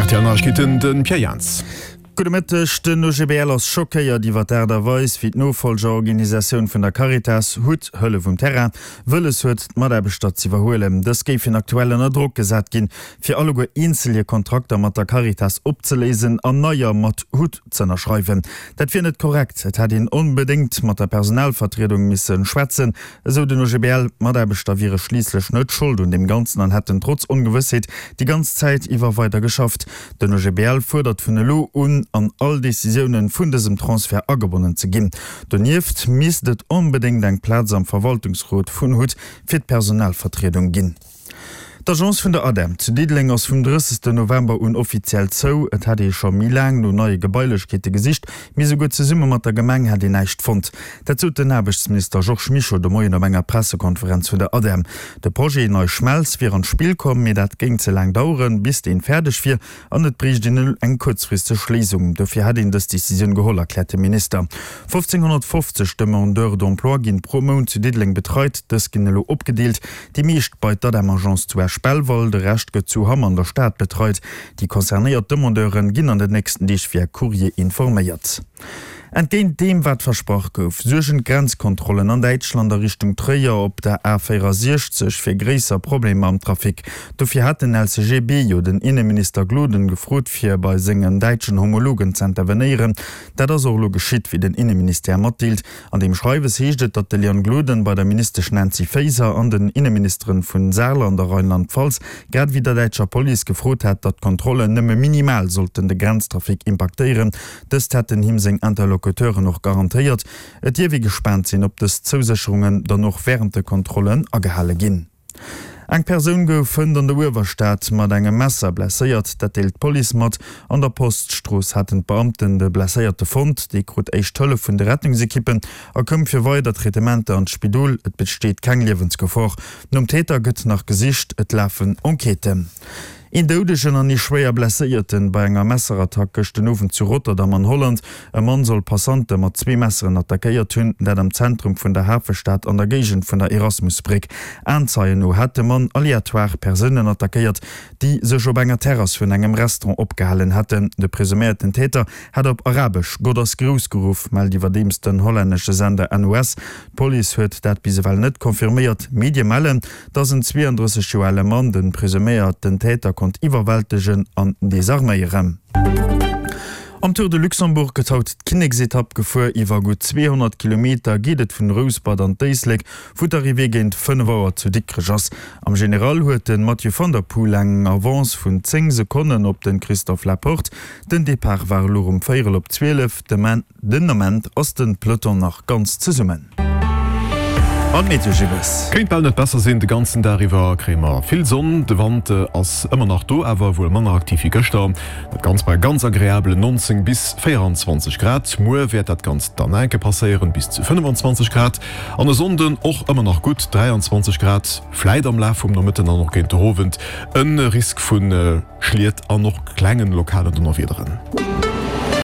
Rtl Neiegkeeten, de Pierre Jans. Gudde Mëtteg, Den OGBL ass schockéiert iwwer d'Aart a Weis, wéi d'Nofollgerorganisatioun vun der Caritas, hut, Hëllef um Terrain, wëlles huet, d'Mataarbechter z'iwwerhuelen. Dës géifen aktuell ënner Drock gesat ginn, fir alleguer eenzel hir Kontrakter mat der Caritas opzeléisen an neier mat hut z'ënnerschreiwen. Dat wier net korrekt, et hätt een onbedéngt mat der Personalvertriedung misse schwätzen, esou den OGBL. D'Mataarbechter wiere schliisslech net Schold un deem Ganzen an hätten trotz Ongewëssheet déi ganz Zäit iwwer weider geschafft. Den OGBL fuerdert vun elo un an all Decisioune vun dësem Transfert agebonnen ze ginn. Donieft misst et onbedéngt eng Plaz am Verwaltungsrot vun hut fir d'Personalvertriedung ginn. D'Agence vun der ADEM zu Diddeleng ass vum 30. November un offiziell zou. Et hätt ee scho méi laang no neie Gebailechkeete gesicht, mee esouguer zesumme mat der Gemeng hätt een näischt fonnt. Dat sot den Aarbechtsminister Georges Mischo de Moien op enger Pressekonferenz vun der ADEM. De Projet Nei Schmelz wier an d'Spill komm, mee dat géing ze laang daueren, bis deen fäerdeg wier an et bréicht een elo eng kuerzfristeg Léisung. Dofir hätt een dës Decisioun geholl, erkläert de Minister. 1.550 Demandeurs d'emploi ginn pro Mount zu Diddeleng betreit. Dës ginn elo opgedeelt, déi meescht bei d'ADEM-Agence zu Esch-Belval, de Rescht gëtt zu Hamm an der Stad betreit. Déi concernéiert Demandeuren ginn an den nächsten Deeg via Courrier informéiert. Entgéint deem wat versprach gouf, suergen d'Grenzkontrollen an Däitschland a Richtung Tréier op der A 64 fir gréisser Problemer am Trafic. Dofir hat den LCGB jo den Inneminister Gloden gefrot fir bei sengen däitschen Homologen z'intervenéieren. Dat ass och elo geschitt, wéi den Inneministère matdeelt. An deem Schreiwes heescht et, datt de Leon Gloden bei der Ministesch Nancy Faeser an den Inneministeren vun Saarland a Rheinland-Pfalz, grad ewéi der däitscher Police gefrot hat, datt d'Kontrollen nëmme minimal sollten de Grenztrafic impaktéieren. Dëst hätten him seng Interlocuteuren och garantéiert. Et dierf ee gespaant sinn, ob dës Zousécherungen dann och wärend de Kontrollen agehale ginn. Eng Persoun gouf hënt an der Uewerstad mat engem Messer blesséiert. Dat deelt d'Police mat. An der Poststrooss haten d'Beamten de Blesséierte fonnt. Dee krut éischt Hëllef vun de Rettungsekippen a koum fir weider Traitementer an d'Spidol. Et besteet keng Liewensgefor. Nom Täter gëtt nach gesicht, et lafen Enquêten. Een Doudegen an ee schwéier Blesséierten bei enger Messerattack gëscht den Owend zu Rotterdam an Holland. E Mann soll Passante mat zwee Messeren attackéiert hunn, dat am Zentrum vun der Hafestad an der Géigend vun der Erasmusbréck. Aenzeien no hätt de Mann aleatoire Persounen attackéiert, déi sech op enger Terrass vun engem Restaurant opgehalen hätten. De presuméierten Täter hätt op Arabesch Gott ass grouss geruff, mellt iwwerdeems den hollännesche Sender NOS. D'Police huet dat bis ewell net confirméiert. Medie mellen, dass en 32 Joer ale Mann de presuméierten Täter konnt iwwerwältegen an desarméieren. Am Tour de Luxembourg gëtt haut d'Kinneksetapp gefuer. Iwwer gutt 200 Kilometer geet et vun Rouspert an d'Éislek, wou d'Arrivée géint 5 Auer zu Dikrech ass. Am General huet de Mathieu van der Poel eng Avance vun 10 Sekonnen op de Christophe Laporte. Den Depart war elo rëm véierel op 12. Den Ament ass den Peloton nach ganz zesummen. An d'Meteo Gibbes. Kéint bal net besser sinn, de ganzen Dag iwwer kréie mer vill Sonn. De Wand ass ëmmer nach do, awer wuel manner aktiv wéi gëschter. Dat Ganzt bei ganz agreabelen 19 bis 24 Grad. Muer wäert dat Ganzt dann enke passéieren, bis zu 25 Grad. An e Sonnden och ëmmer nach gutt 23 Grad. Vläit am Laf vum Nomëtten an och géint de Owend e Risk vu Schliet an och klengen lokalen Donnerwiederen.